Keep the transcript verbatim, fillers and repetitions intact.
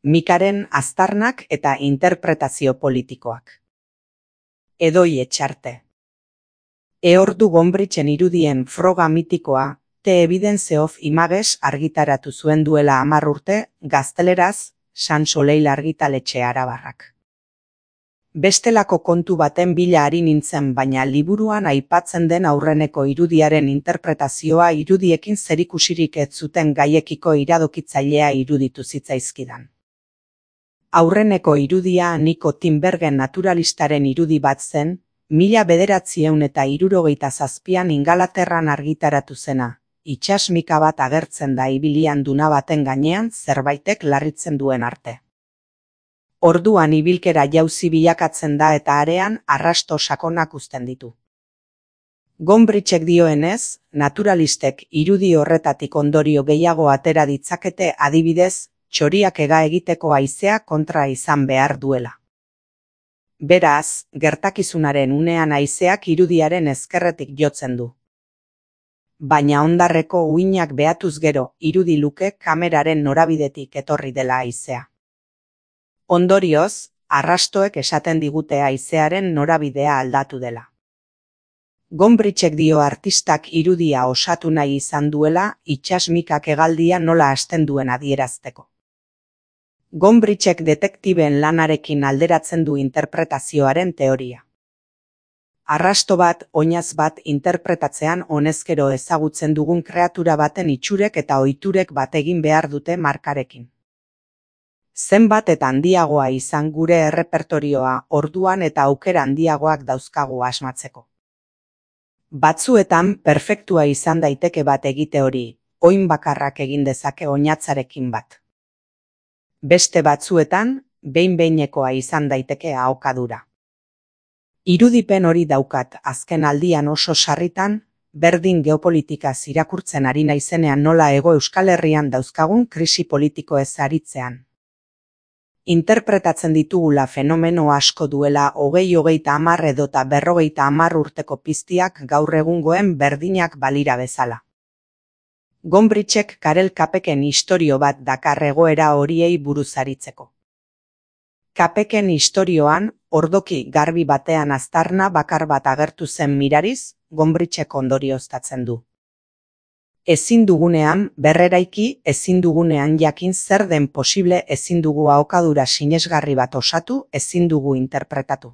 Mikaren aztarnak eta interpretazio politikoak. Edoi Etxarte. Eordu Gombritzen irudien froga mitikoa, The Evidence of Images argitaratu zuen duela hamar urte, gazteleraz, San Soleil argitaletxe Arabarrak. Bestelako kontu baten bila ari nintzen, baina liburuan aipatzen den aurreneko irudiaren interpretazioa irudiekin zerikusirik ez zuten gaiekiko iradokitzailea iruditu zitzaizkidan. Aurreneko irudia Nico Tinbergen naturalistaren irudi bat zen, mila bederatziehun eta hirurogeita zazpian Ingalaterran argitaratu zena, itsasmika bat agertzen da ibilian duna baten gainean zerbaitek larritzen duen arte. Orduan ibilkera jauzi bilakatzen da eta arean arrasto sakonak uzten ditu. Gombritzek dioenez, naturalistek irudi horretatik ondorio gehiago atera ditzakete, adibidez, txoriak ega egiteko haizea kontra izan behar duela. Beraz, gertakizunaren unean haizeak irudiaren ezkerretik jotzen du. Baina hondarreko uinak behatuz gero, irudi luke kameraren norabidetik etorri dela haizea. Ondorioz, arrastoek esaten digute haizearen norabidea aldatu dela. Gombritzek dio artistak irudia osatu nahi izan duela, itsasmikak hegaldia nola hasten duen adierazteko. Gombritzek detektiben lanarekin alderatzen du interpretazioaren teoria. Arrasto bat, oinaz bat interpretatzean honezkero ezagutzen dugun kreatura baten itxurek eta ohiturek bat egin behar dute markarekin. Zenbat eta handiagoa izan gure errepertorioa, orduan eta aukera handiagoak dauzkagu asmatzeko. Batzuetan perfektua izan daiteke bat egite hori, oin bakarrak egin dezake oinatzarekin bat. Beste batzuetan, behin-behinekoa izan daiteke ahokadura. Irudipen hori daukat azken aldian oso sarritan, berdin geopolitikaz irakurtzen ari naizenean nola Hego Euskal Herrian dauzkagun krisi politikoez aritzean. Interpretatzen ditugula fenomeno asko duela hogei hogeita hamar edota berrogeita hamar urteko piztiak gaur egungoen berdinak balira bezala. Gombritzek Karel Kapeken istorio bat dakar egoera horiei buruz aritzeko. Kapeken istorioan, ordoki garbi batean aztarna bakar bat agertu zen mirariz, Gombritzek ondorioztatzen du. Ezin dugunean berreraiki, ezin dugunean jakin zer den posible, ezin dugu ahokadura sinesgarri bat osatu, ezin dugu interpretatu.